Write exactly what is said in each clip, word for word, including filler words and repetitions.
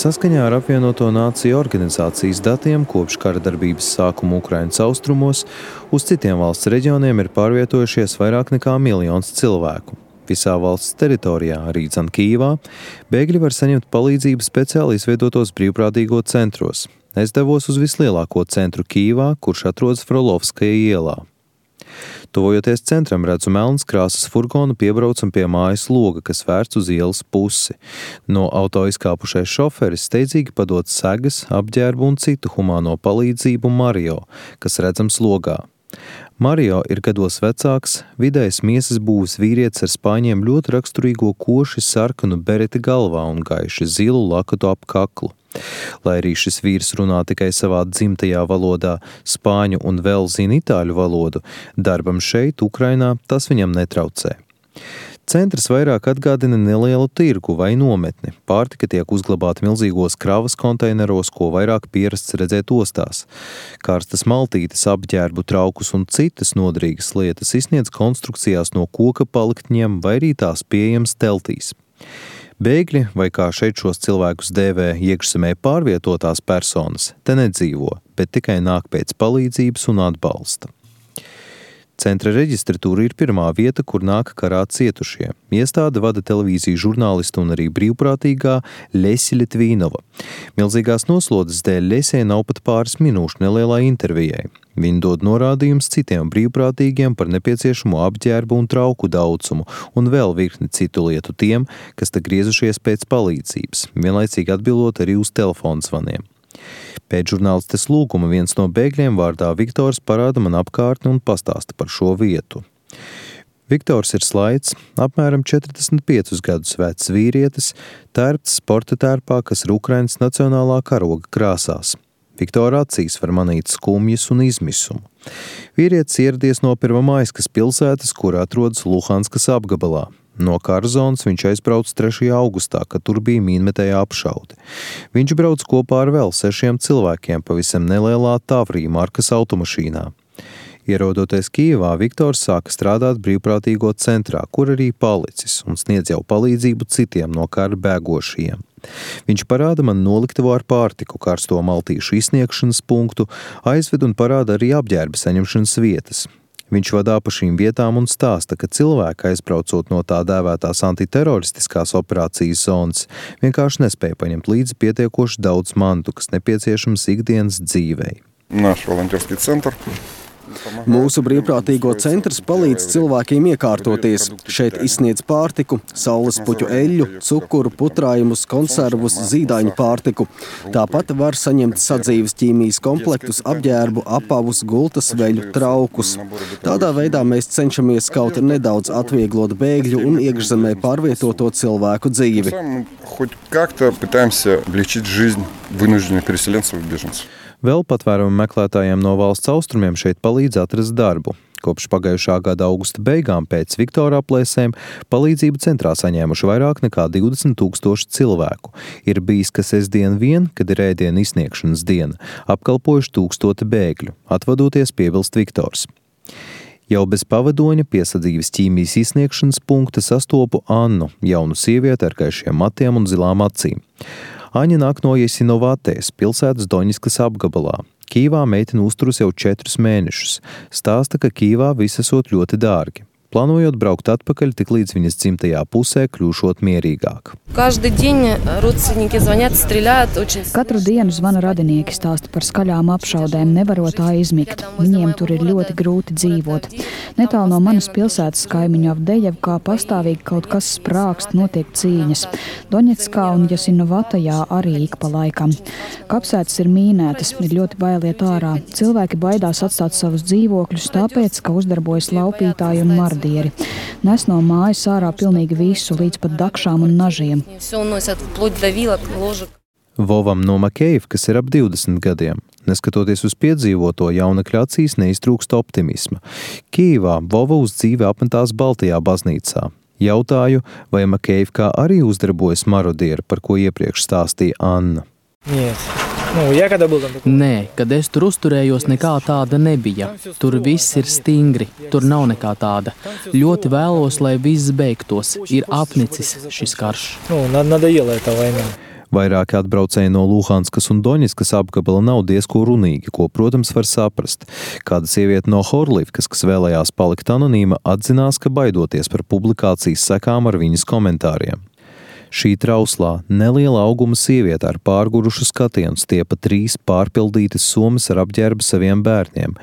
Saskaņā ar apvienoto nāciju organizācijas datiem kopš kara darbības sākuma Ukrainas austrumos uz citiem valsts reģioniem ir pārvietojušies vairāk nekā miljons cilvēku. Visā valsts teritorijā, arī dzan Kijivā, bēgļi var saņemt palīdzību speciāli izveidotos brīvprātīgo centros. Es devos uz vislielāko centru Kijivā, kurš atrodas Frolovskaja ielā. Tuvojoties centram, redzu melnas krāsas furgonu piebraucam pie mājas loga, kas vērsts uz ielas pusi. No auto izkāpušais šoferis steidzīgi padod segas, apģērbu un citu humāno palīdzību Mario, kas redzams logā. Mario ir gados vecāks, vidējs miesas būves vīrietis ar spāņiem ļoti raksturīgo koši sarkanu bereti galvā un gaiši zilu lakatu ap kaklu. Lai arī šis vīrs runā tikai savā dzimtajā valodā, spāņu un vēl zina itāļu valodu, darbam šeit, Ukrainā, tas viņam netraucē. Centrs vairāk atgādina nelielu tirgu vai nometni. Pārtika tiek uzglabāta milzīgos kravas konteineros, ko vairāk pierasts redzēt ostās. Karstas maltītes, apģērbu, traukus un citas noderīgas lietas izsniedz konstrukcijās no koka paliktņiem vai arī tās pieejams teltīs. Bēgļi, vai kā šeit šos cilvēkus dēvē iekšzemē pārvietotās personas, te nedzīvo, bet tikai nāk pēc palīdzības un atbalsta. Centra reģistratūra ir pirmā vieta, kur nāk karā cietušie. Iestāde vada televīziju žurnālistu un arī brīvprātīgā Ļesia Litvīnova. Milzīgās noslodes dēļ Ļesijai nav pat pāris minūšu nelielai intervijai. Viņi dod norādījumus citiem brīvprātīgiem par nepieciešamo apģērbu un trauku daudzumu un vēl virkni citu lietu tiem, kas te griezušies pēc palīdzības, vienlaicīgi atbildot arī uz telefonu zvaniem. Pēc žurnālistes lūguma viens no bēgļiem vārdā Viktors parāda man apkārtni un pastāsta par šo vietu. Viktors ir slaids, apmēram četrdesmit piecus gadus vecs vīrietis, tērpts sporta tērpā, kas ir Ukrainas nacionālā karoga krāsās. Viktora acīs var manīt skumjas un izmisumu. Vīrietis ieradies no Pirmamaiskas pilsētas, kur atrodas Luhanskas apgabalā. No kara zonas viņš aizbrauc trešajā augustā, kad tur bija mīnmetēja apšaude. Viņš brauc kopā ar vēl sešiem cilvēkiem pavisam nelielā Tavrī markas automašīnā. Ierodoties Kijivā, Viktors sāka strādāt brīvprātīgo centrā, kur arī palicis un sniedz jau palīdzību citiem no kara bēgošajiem. Viņš parāda man noliktavu ar pārtiku, karsto maltīšu izsniegšanas punktu, aizved un parāda arī apģērba saņemšanas vietas. Viņš vadā pa šīm vietām un stāsta, ka cilvēki, aizbraucot no tā dēvētās antiteroristiskās operācijas zonas, vienkārši nespēja paņemt līdzi pietiekoši daudz mantu, kas nepieciešams ikdienas dzīvei. Nаш волонтерский центр. Mūsu brīvprātīgo centrs palīdz cilvēkiem iekārtoties. Šeit izsniedz pārtiku, saules puķu eļļu, cukuru, putrājumus, konservus, zīdaiņu pārtiku. Tāpat var saņemt sadzīves ķīmijas komplektus, apģērbu, apavus, gultas veļu, traukus. Tādā veidā mēs cenšamies kaut nedaudz atvieglot bēgļu un iekšzemē pārvietoto cilvēku dzīvi. Хоть как-то пытаемся облегчить жизнь вынужденных переселенцев и беженцев. Vēl patvērumu meklētājiem no valsts austrumiem šeit palīdz atrast darbu. Kopš pagājušā gada augusta beigām pēc Viktora aplēsēm palīdzību centrā saņēmuši vairāk nekā divdesmit tūkstoši cilvēku. Ir bijis, ka sestdien vien, kad ir ēdienu izsniegšanas diena, apkalpojuši tūkstoti bēgļu, atvadoties piebilst Viktors. Jau bez pavadoņa piesadzīves ķīmijas izsniegšanas punkta sastopu Annu, jaunu sievieti ar gaišiem matiem un zilām acīm. Aņa nāk no Jasinovatēs, pilsētas Doņiskas apgabalā. Kijivā meitene uzturas jau četrus mēnešus. Stāsta, ka Kijivā viss esot ļoti dārgi. Plānojot braukt atpakaļ, tik līdz viņas dzimtajā pusē kļūšot mierīgāk. Katru dienu zvana radinieki, stāsta par skaļām apšaudēm, nevarot tā izmigt. Viņiem tur ir ļoti grūti dzīvot. Netālu no manas pilsētas kaimiņu Avdejevkā pastāvīgi kaut kas sprākst, notiek cīņas. Doņetskā un Jasinovatajā arī ik pa laikam. Kapsētas ir mīnētas, ir ļoti bailiet ārā. Cilvēki baidās atstāt savus dzīvokļus, tāpēc, ka uzdarbojas laupītāji un mardi. Nes no mājas ārā pilnīgi visu, līdz pat dakšām un nažiem. Vovam no Makejevkas ir ap divdesmit gadiem. Neskatoties uz piedzīvoto, jaunekļa acīs neiztrūkst optimisma. Kijivā Vova uz dzīvi apmetās Baltajā baznīcā. Jautāju, vai Makejevkā arī uzdarbojas marodieri, par ko iepriekš stāstīja Anna. Nē, kad es tur uzturējos, nekā tāda nebija. Tur viss ir stingri, tur nav nekā tāda. Ļoti vēlos, lai viss beigtos. Ir apnicis šis karš. Vairāki atbraucēji no Luhanskas un Doņetskas apgabala nav diezko runīgi, ko, protams, var saprast. Kāda sieviete no Horlivkas, kas vēlējās palikt anonīma, atzinās, ka baidoties par publikācijas sekām ar viņas komentāriem. Šī trauslā, neliela auguma sieviete ar pārgurušu skatienu stiepa trīs pārpildītas somas ar apģērbu saviem bērniem.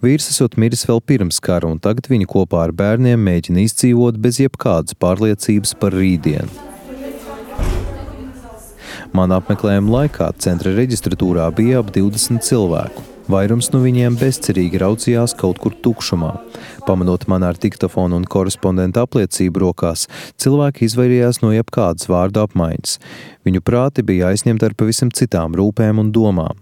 Vīrs esot miris vēl pirms kara, un tagad viņi kopā ar bērniem mēģina izdzīvot bez jebkādas pārliecības par rītdienu. Man apmeklējuma laikā centra reģistratūrā bija ap divdesmit cilvēku. Vairums no viņiem bezcerīgi raudzījās kaut kur tukšumā. Pamanot man ar diktofonu un korespondentu apliecību rokās, cilvēki izvairījās no jebkādas vārdu apmaiņas. Viņu prāti bija aizņemti ar pavisam citām rūpēm un domām.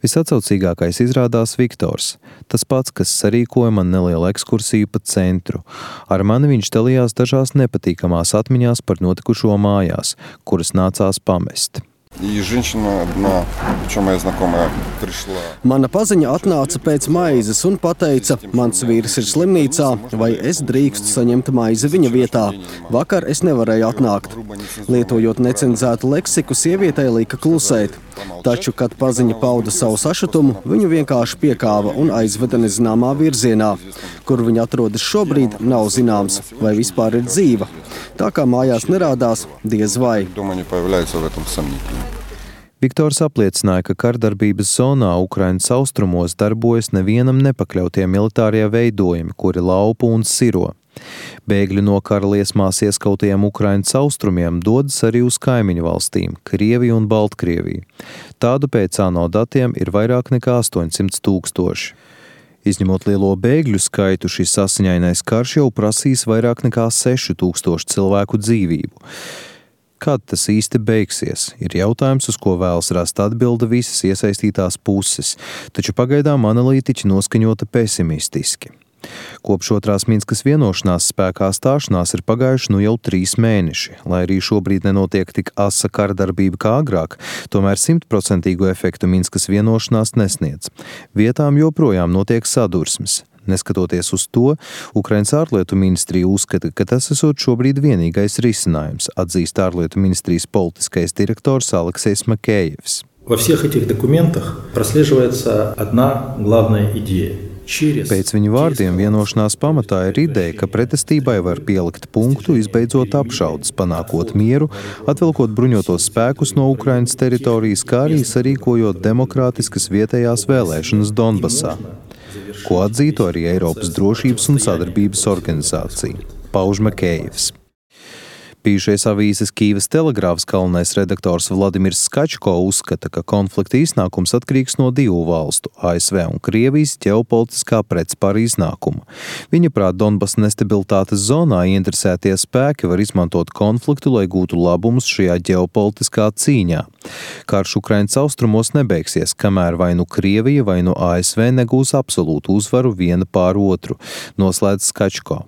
Visatcaucīgākais izrādās Viktors, tas pats, kas sarīkoja man nelielu ekskursiju pa centru. Ar mani viņš dalījās dažās nepatīkamās atmiņās par notikušo mājās, kuras nācās pamest. И женщина одна, причем моя знакомая, пришла. Mana paziņa atnāca pēc maizes un pateica, mans vīrs ir slimnīcā, vai es drīkstu saņemt maizi viņa vietā. Vakar es nevarēju atnākt. Lietojot necenzētu leksiku, sievietei lika klusēt. Taču, kad paziņa pauda savu sašutumu, viņu vienkārši piekāva un aizveda nezināmā virzienā. Kur viņa atrodas šobrīd, nav zināms, vai vispār ir dzīva. Tā kā mājās nerādās, diez vai. Дома не появляется, в этом сомнительно. Viktors apliecināja, ka kardarbības zonā Ukrainas austrumos darbojas nevienam nepakļautie militārie veidojumi, kuri laupa un siro. Bēgļi no kara liesmās ieskautajiem Ukrainas austrumiem dodas arī uz kaimiņu valstīm – Krieviju un Baltkrieviju. Tādu pēc ANO datiem ir vairāk nekā astoņsimt tūkstoši. Izņemot lielo bēgļu skaitu, šis asiņainais karš jau prasīs vairāk nekā seši tūkstoši cilvēku dzīvību. Kad tas īsti beigsies, ir jautājums, uz ko vēlas rast atbilde visas iesaistītās puses, taču pagaidām analītiķi noskaņota pesimistiski. Kopš otrās Minskas vienošanās spēkā stāšanās ir pagājuši nu jau trīs mēneši. Lai arī šobrīd nenotiek tik asa kardarbība kā agrāk, tomēr simtprocentīgu efektu Minskas vienošanās nesniedz. Vietām joprojām notiek sadursmes. Neskatoties uz to, Ukrainas ārlietu ministrija uzskata, ka tas esot šobrīd vienīgais risinājums, atzīst ārlietu ministrijas politiskais direktors Aleksejs Makejevs. Во всех этих документах прослеживается одна главная идея. Pēc viņu vārdiem vienošanās pamatā ir ideja, ka pretestībai var pielikt punktu, izbeidzot apšaudes, panākot mieru, atvilkot bruņotos spēkus no Ukrainas teritorijas, kā arī sarīkojot demokrātiskas vietējās vēlēšanas Donbasā, ko atzītu arī Eiropas drošības un sadarbības organizācija, pauž Makejevs. Bijušais avīzes Kīvas telegrāfs galvenais redaktors Vladimirs Skačko uzskata, ka konflikta iznākums atkarīgs no divu valstu, A S V un Krievijas ģeopolitiskā pretspara iznākuma. Viņa prāt, Donbas nestabilitātes zonā ieinteresētie spēki var izmantot konfliktu, lai gūtu labumus šajā ģeopolitiskā cīņā. Karš Ukrainas austrumos nebeigsies, kamēr vai nu Krievija vai nu A S V negūs absolūtu uzvaru viena pār otru, noslēdz Skačko.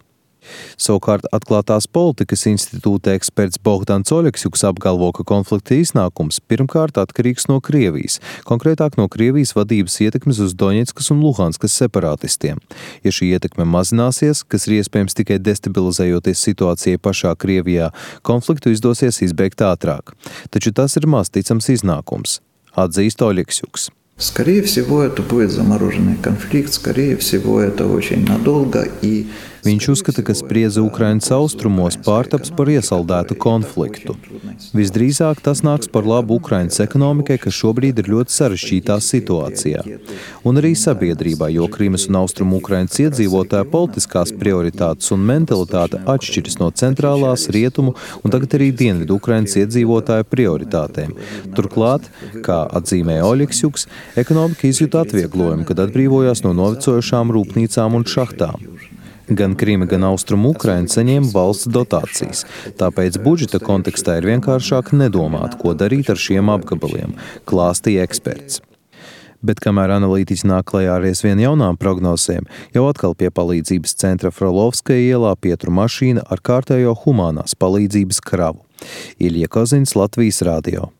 Savukārt atklātās politikas institūta eksperts Bohdans Oleksjuks apgalvo, ka konflikta iznākums pirmkārt atkarīgs no Krievijas, konkrētāk no Krievijas vadības ietekmes uz Doņetskas un Luhanskas separatistiem. Ja šī ietekme mazināsies, kas ir iespējams tikai destabilizējoties situācijai pašā Krievijā, konfliktu izdosies izbeigt ātrāk. Taču tas ir maz ticams iznākums, atzīst Oleksjuks. Скорее всего, это будет замороженный конфликт, скорее всего, это очень надолго и... Viņš uzskata, ka spriedze Ukrainas austrumos pārtaps par iesaldētu konfliktu. Visdrīzāk tas nāks par labu Ukrainas ekonomikai, kas šobrīd ir ļoti sarežģītā situācijā. Un arī sabiedrībā, jo Krimas un Austrumu Ukrainas iedzīvotāju politiskās prioritātes un mentalitāte atšķiras no centrālās, rietumu un tagad arī dienvidu Ukrainas iedzīvotāju prioritātēm. Turklāt, kā atzīmēja Oleksjuks, ekonomika izjuta atvieglojumu, kad atbrīvojās no novecojušām rūpnīcām un šahtām. Gan Krima, gan Austrumu Ukraina saņēma valsts dotācijas, tāpēc budžeta kontekstā ir vienkāršāk nedomāt, ko darīt ar šiem apgabaliem, klāstīja eksperts. Bet kamēr analītiķi nāk klajā ar aizvien jaunām prognozēm, jau atkal pie palīdzības centra Frolovskaja ielā pietur mašīna ar kārtējo humānās palīdzības kravu. Ilja Kozins, Latvijas radio.